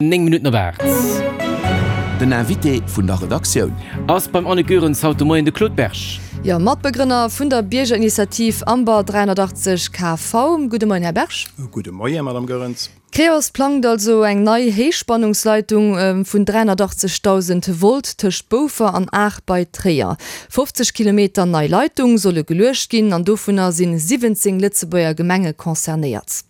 9 Minutten op 8. Den Invité vun der Redaktioun. Ass beim Anne Goerens haut de Moien de Claude Berg. Jo, Matbegrënner vun der Biergerinitiativ Amber 380 KV. Gudde Moien, Här Berg. Gudde Moien, Madame Goerens. D'Creos plangt also eng nei Héichspannungsleitung vun 380.000 Volt tëscht Boufer an Aach bei Tréier. 50 Kilometer nei Leitung solle geluecht ginn an dovunner sinn 17 Lëtzebuerger Gemenge concernéiert.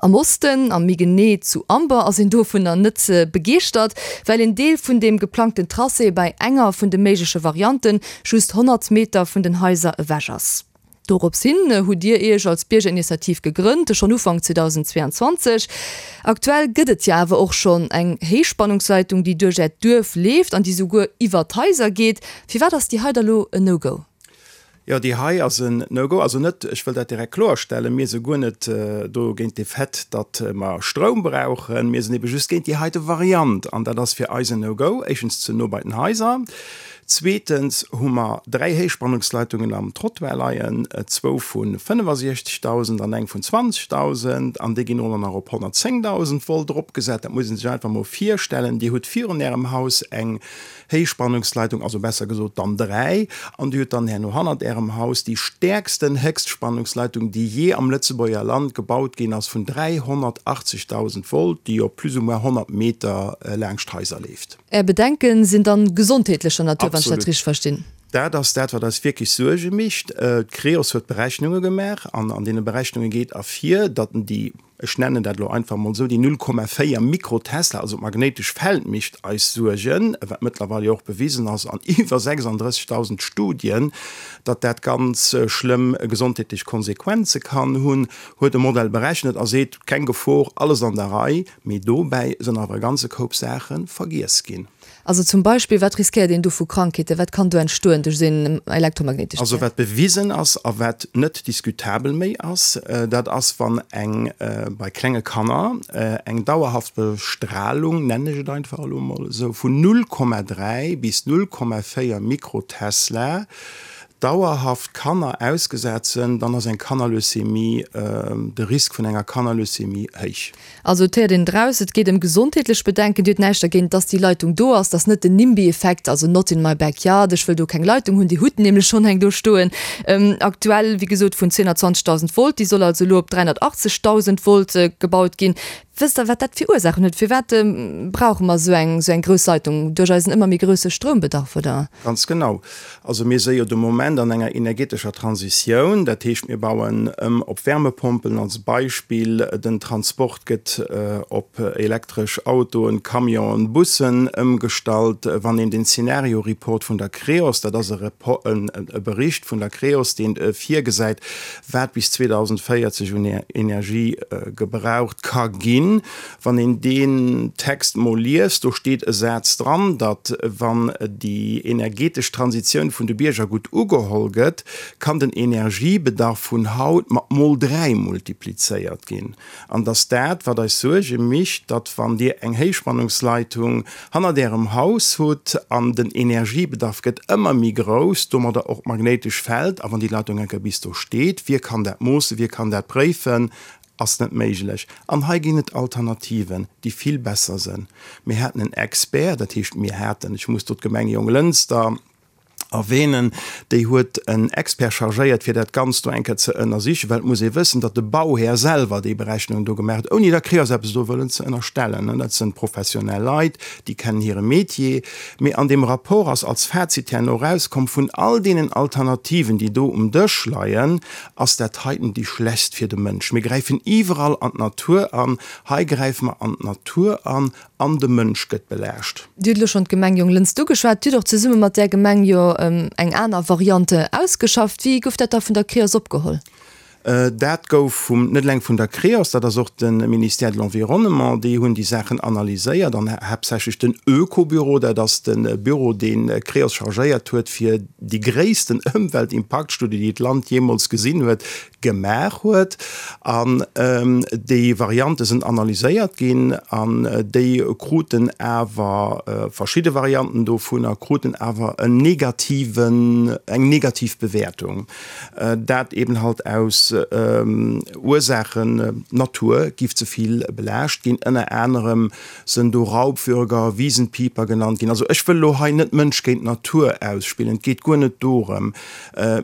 Am Osten, a méi genee zu Amber, ass een dovunner net begeeschtert, well een Deel vun deem geplangten Tracé bei enger vun de méigleche Variante just 100 Meter vun den Haiser ewech ass. Dorops hin hutt Dir Iech als Biergerinitiativ gegrënnt, schonn Ufank 2022. Aktuell gëtt et jo awer och schonn eng Héichspannungsleitung, déi duerch Äert Duerf leeft an déi souguer iwwer d'Haiser geet. Firwat ass déi hei da lo en No-Go? Jo, déi hei ass en No-Go. Also net, ech wëll dat direkt kloerstellen, mir si guer net do géint de Fait, datt mer Stroum brauchen. Mir sinn ebe just géint déi heite Variant. An dat ass fir eis en No-Go. Éischtens ze no bei den Haiser. Zweetens hu mer dräi Héichspannungsleitungen am Trottoir leien, zwou vu 65.000 an eng vun 20.000. An déi ginn och nach op 110.000 Volt eropgesat. Dat muss ee sech einfach mol virstellen. Dir hutt virun Ärem Haus eng Héichspannungsleitung, also besser gesot dann 3, an Dir hutt dann herno hannert Ärem Haus déi stäerksten Héchstspannungsleitung, déi jee am Lëtzebuerger Land gebaut ginn ass, vun 380.000 Volt, déi op plus ou moins 100 Meter laangscht d'Haiser leeft. Är Bedenken sinn dann gesondheetlecher Natur, wann ech dat richteg verstinn? Dat ass dat, wat eis wierklech Suerge mécht. D'Creos huet Berechnunge gemaach an an deene Berechnunge geet ervir, datt déi ech nennen dat elo einfach emol esou, déi 0,4 Mikrotesla, also d'magnéitesch Feld mécht eis Suergen, wat mëttlerweil jo och bewisen ass an iwwer 36.000 Studien, datt dat ganz schlëmm gesondheetlech Konsequenze kann hunn, huet e Modell berechnet a seet, keng Gefor, alles an der Rei, mee dobäi sënn awer e ganze Koup Saache vergiess ginn. Also zum Beispill, wat riskéiert een do vu Krankheeten? Wat kann do entstoen duerch esou een elektromagnéitescht Also wat bewisen ass a wat net diskutabel méi ass, dat ass, wann eng, bei klenge Kanner, eng dauerhaft Bestrahlung, nennen ech et einfach elo emol esou, vun 0,3 bis 0,4 Mikrotesla dauerhaft Kanner ausgesat sënn, dann ass eng Kannerleucämie, de Risk vun enger Kannerleucämie héich. Also et héiert een draus, et geet ëm gesondheetlech Bedenken. Dir hutt näischt dergéint, dass déi Leitung do ass. Dat ass net den NIMBY-Effekt, also not in my backyard, ech wëll do keng Leitung hunn. Dir hutt nämlech schonn eng do stoen, aktuell, wéi gesot, vun 220.000 Volt. Déi soll also elo op 380.000 Volt gebaut ginn. Wësst Der, wat dat fir Ursaachen huet? Firwat brauche mer esou eng, esou eng grouss Leitung? Duerch eisen ëmmer méi grousse Stroumbedarf, oder? Ganz genau. Also mir si jo de Moment an enger energetescher Transitioun. Dat heescht, mir bauen ëm op Wärmepompelen als Beispill. Den Transport gëtt op elektresch Autoen, Camionen, Bussen ëmgestallt. Wann een den Szenario-Report vun der Creos, dat ass e Bericht vun der Creos, deen virgesäit, wat bis 2040 un Energie gebraucht ka ginn, Wann een deen Text mol liest, do steet e Saz dran, datt wann déi energetesch Transitioun vun de Bierger gutt ugeholl gëtt, kann den Energiebedarf vun haut mat mol 3 multiplizéiert ginn. An datt dat, wat eis Suerge micht, datt wann Dir eng Héichspannungsleitung hannert Ärem Haus hutt an den Energiebedarf gëtt ëmmer méi grouss, domadder och d'magnéitesch Feld, a wann déi Leitung eng Kéier bis do steet, wie kann dat moossen, wie kann dat préifen, Ass net méiglech. An hei ginn et Alternativen, déi vill besser sënn. Mir haten en Expert, dat heescht mir haten, ech muss do d'Gemeng Jonglënster erwähnen, déi huet en Expert chargéiert, fir dat Ganzt do eng Kéier ze ënnersichen, well et muss ee wëssen, datt de Bauhär selwer déi Berechnungen do gemaach huet, ouni der Creos eppes do wëllen ze ënnerstellen. Dat sënn professionell Leit, déi kennen hire Metier. Mee an deem Rapport ass als Fazit herno erauskomm, vun all deenen Alternativen, déi do um Dësch leien, Ass dat heiten déi schlechtst fir de Mënsch? Mir gräifen iwwerall an d'Natur an, hei gräife mer an d'Natur an, an de Mënsch gëtt belaascht. Dir hutt elo schonn d'Gemeng Jonglënster ugeschwat. Dir hutt och zesumme mat där Gemeng jo eng aner Variante ausgeschafft. Wéi gouf dat da vun der Creos opgeholl? Dat gouf vum, net eleng vun der Creos, dat ass och de Ministère de l'Environnement, déi hunn déi Saachen analyséiert an haaptsächlech den Ökobüro, dat ass de Büro, deen d'Creos chargéiert huet, fir déi gréissten Ëmweltimpaktstudie, déi d'Land jeemools gesinn huet, gemaach huet. An déi Variante sinn analyséiert ginn an déi kruten awer, verschidde Varianten dovunner kruten awer en negativen, eng negativ Bewäertung. Dat eben halt aus. aus Ursaachen, d'Natur giff ze vill belaascht ginn, ënner anerem sënn do Raubwürger, Wiesenpieper genannt ginn. Also ech wëll elo hei net Mënsch géint Natur ausspillen, et geet guer net dorëm,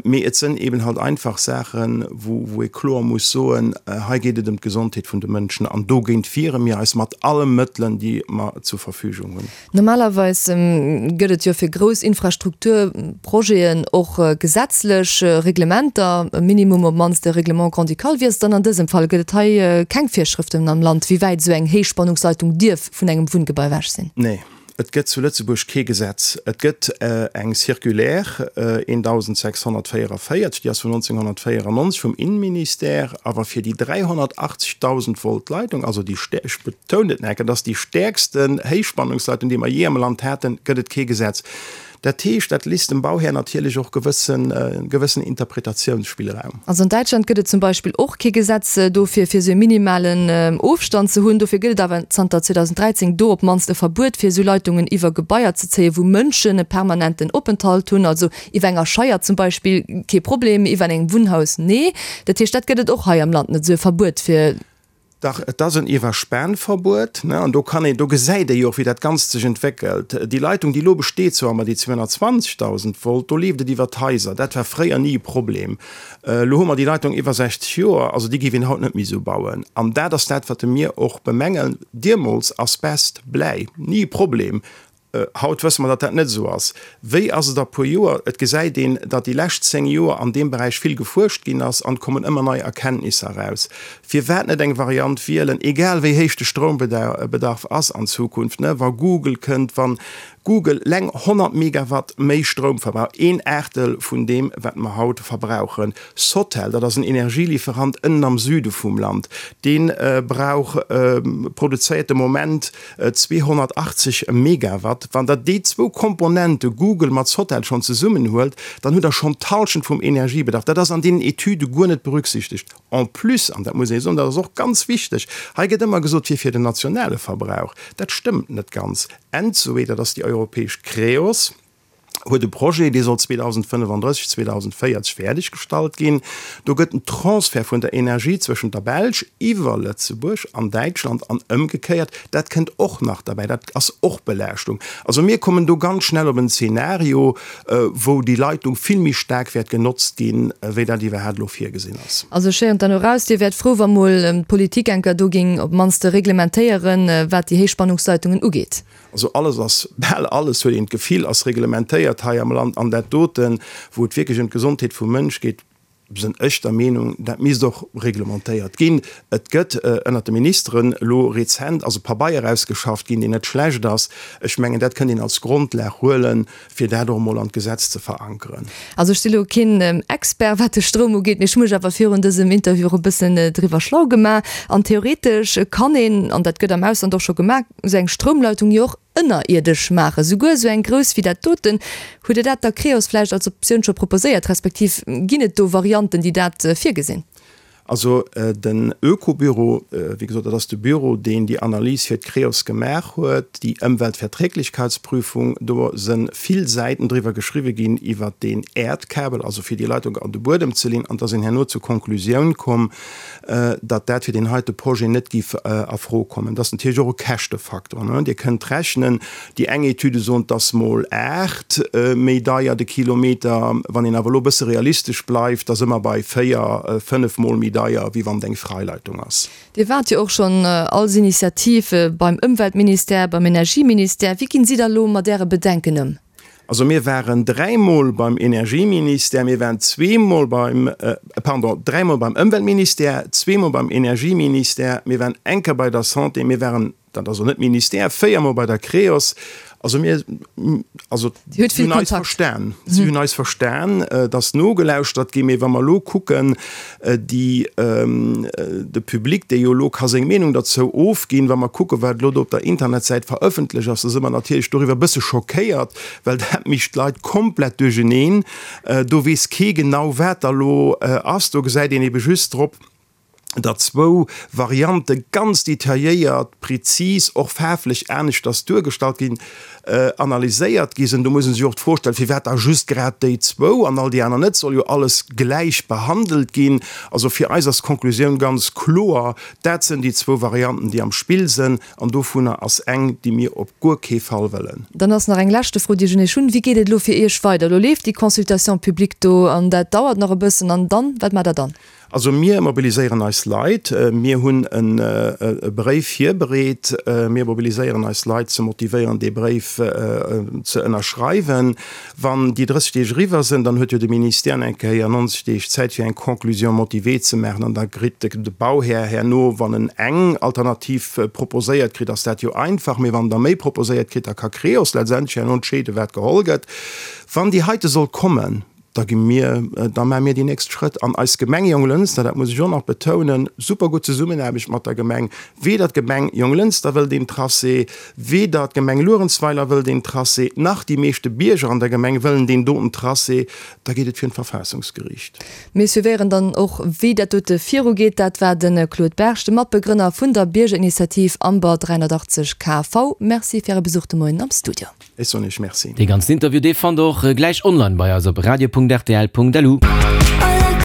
mee et sënn eben halt einfach Saachen, wou wou ee kloer muss soen, hei geet et ëm d'Gesondheet vun de Mënschen an dogéint wiere mir eis mat alle Mëttelen, déi mer zur Verfügung hunn. Normalerweis gëtt et jo fir grouss Infrastrukturprojeten och gesetzlech Reglementer, e Minimum op d'mannst e Règlement grand-ducal. Wéi ass et dann an dësem Fall? Gëtt et hei keng Virschrëften am Land, wéi wäit esou eng Héichspannungsleitung dierf vun engem Wunngebai ewech sinn? Nee, et gëtt zu Lëtzebuerg kee Gesetz. Et gëtt eng Circulaire 1644, déi ass vun 1994 vum Innenministère, awer fir déi 380.000 Volt Leitung, also déi, ech betounen et nach eng Kéier, dat ass déi stäerksten Héichspannungsleitung, déi mer jee am Land haten, gëtt et kee Gesetz. Dat heescht, dat lisst dem Bauhär natierlech och gewëssen, gewëssen Interpretatiounsspillraum. Also an Däitschland gëtt et zum Beispill och kee Gesetz dofir, fir esou e minimalen Ofstand ze hunn. Dofir gëtt et awer zanter 2013 do op d'mannst e Verbuet, fir esou Leitungen iwwer Gebaier ze zéien, wou Mënschen e permanenten Openthalt hunn. Also iwwer enger Scheier zum Beispill kee Problem, iwwer engem Wunnhaus nee. Dat heescht, dat gëtt et och hei am Land net, esou e Verbuet fir. Dach, et ass en Iwwerspanverbuet, ne, an do kann een, do gesäit ee jo och, wéi dat Ganzt sech entwéckelt. Déi Leitung, déi elo besteet, zwar ëmmer déi 220.000 Volt, do leeft et iwwer d'Haiser. Dat war fréier ni e Problem. Elo hu mer déi Leitung iwwer 60 Joer, also déi géif een haut net méi esou bauen. An dat ass dat, wat mir och bemängeln. Deemools Asbest, Bläi, ni e Problem. Haut wësse mer, datt dat net esou ass. Wéi ass et a puer Joer? Et gesäit een, datt déi lescht 10 Joer an deem Beräich vill gefuerscht ginn ass an et kommen ëmmer nei Erkenntnisser eraus. Firwat net eng Variant wielen, egal wéi héich de Stroumbedarf ass an Zukunft, ne, wa Google kënnt, wa Google leng 100 Megawatt méi Stroum verbraucht, een Aachtel vun deem, wat mer haut verbrauchen. Sotel, dat ass en Energielieferant ënnen am Süde vum Land, dee brauch, produzéiert de Moment 280 Megawatt. Wann Der déi zwou Komponente Google mat Sotel schonn zesummenhuelt, dann hutt Der schonn d'Hallschent vum Energiebedarf. Dat ass an deenen Etüde guer net berücksichtegt. En plus, an dat muss ee soen, dat ass och ganz wichteg, hei gëtt ëmmer gesot, fir fir den nationale Verbrauch. Dat stëmmt net ganz. Entsoe, dat ass déi europäesch Creos, huet e Projet, dee soll 2035, 2040 fäerdeg gestallt ginn. Do gëtt en Transfert vun der Energie zwëschent der Belsch iwwer Lëtzebuerg an Däitschland an ëmgekéiert. Dat kënnt och nach derbäi. Dat ass och Belaaschtung. Also mir kommen do ganz schnell op en Zeenario, wou déi Leitung vill méi staark wäert genotzt ginn, wéi dat iwwerhaapt elo virgesinn ass. Also ech héieren dann eraus, Dir wäert frou, wa mol d'Politik enker do géing op d'mannst reglementéieren, wat déi Héichspannungsleitungen ugeet. Also alles ass, bal alles, huet een d'Gefill, ass reglementéiert hei am Land. An dat doten, wou et wierklech ëm d'Gesondheet vum Mënsch geet, sinn ech der Meenung, dat misst och reglementéiert ginn. Et gëtt ënnert de Ministeren elo rezent ass e Pabeier ausgeschafft ginn, deen net schlecht ass. Ech mengen, dat kënnt een als Grondlag huelen, fir dat och emol an d'Gesetz ze verankeren. Also ech si lo keen Expert wat de Stroum ugeet, mee ech hu mech awer virun dësem Interview och e bëssen driwwer schlau gemaach. An theoretesch kann een, an dat gëtt am Ausland och scho gemaach, esou eng Stroumleitung jo och ënnerierdesch maachen, souguer esou eng grouss wéi dat doten. Hutt Dir dat der Creos vläicht als Optioun scho proposéiert, respektiv ginn et do Varianten, déi dat virgesinn? Also den Ökobüro, wéi gesot, dat ass de Büro, deen déi Analys fir d'Creos gemaach huet, déi Ëmweltverträglichkeitsprüfung. Do se vill Säiten driwwer geschriwwe ginn iwwert deen Äerdkabel, also fir déi Leitung an de Buedem ze leeën. An da sinn herno zur Konklusioun komm, datt dat fir deen heite Projet net géif a Fro kommen. Dat ass natierlech och e Käschtefaktor. Dir kënnt rechnen, Déi eng Etüde soen, et ass mol 8 méi deier de Kilometer. Wann een awer elo e bësse realistesch bleift, da si mer bei 4, 5 mol méi deier, wéi wann et eng Freileitung ass. Dir waart jo och schonn als Initiativ beim Ëmweltministère, beim Energieministère. Wéi ginn si da elo mat Äre Bedenken ëm? Also mir waren dräimol beim Energieministère, mir waren zweemol beim, pardon, dräimol beim Ëmweltministère, zweemol beim Energieministère, mir waren eng Kéier bei der Santé, mir waren, Dat ass och net Ministère, véiermol bei der Creos. Also mir, also Dir hutt si vill hunn eis Kontakt. verstan. Si hunn eis verstan, et ass nogelauschtert ginn. Mee wa mer elo kucken, déi, de Public, dee jo elo ka seng Meenung derzou ofginn, wa mer kucken, wat elo do op der Internetsäit verëffentlech ass, da si mer natierlech doriwwer e bësse schockéiert, well dat mécht d'Leit komplett duercheneen. Do weess kee genau, wat da elo ass. Do gesäit een ebe just drop. Der zwou Variante ganz detailléiert, prezis, och faarflech aneschters duergestallt ginn, analyséiert gi sinn. Do muss ee sech och d'Fro stellen, firwat da just grad déi zwou an all déi aner net? Soll jo alles gläich behandelt ginn. Also fir eis ass d'Konklusioun ganz kloer, Dat sënn déi zwou Varianten, déi am Spill sënn, an dovunner ass eng, déi mir op guer kee Fall wëllen. Dann ass nach eng leschte Fro, déi ech un Iech hunn, Wéi geet et elo fir Iech weider? Elo leeft déi Consultation publique do an dat dauert nach e bëssen. An dann, wat maacht Der dann? Also mir mobiliséieren eis Leit. Mir hunn e Bréif virbereet. Mir mobiliséieren eis Leit ze motivéieren, dee Bréif ze ënnerschreiwen. Wann déi 30 Deeg eriwwer sinn, dann huet jo de Ministère eng Kéier 90 Deeg Zäit, fir eng Conclusion motivée ze maachen. An da kritt de Bauhär herno, wann en eng Alternativ proposéiert kritt, ass dat jo einfach, mee wann en der méi proposéiert kritt, da ka Creos letztendlech herno entscheeden, wat geholl gëtt. Wann déi heite soll kommen, da gi mir, da maache mir déi nächst Schrëtt. An eis Gemeng Jonglënster, dat muss ech och nach betounen, super gutt Zesummenaarbecht mat der Gemeng, weder d'Gemeng Jonglënster wëll deen Tracé, weder d'Gemeng Luerenzweiler wëll deen Tracé, nach déi meeschte Bierger an der Gemeng wëllen deen doten Tracé, da geet et virun d'Verfaassungsgeriicht. Mir suivéieren dann och, wéi dat dote virugeet. Dat war de Claude Berg, de Matbegrënner vun der Biergerinitiativ Amber 380 KV. Merci fir Äre Besuch de Moien am Studio. Ech soen Iech Merci. Dee ganzen Interview, dee fannt der och gläich online bei eis op radio.rtl.lu.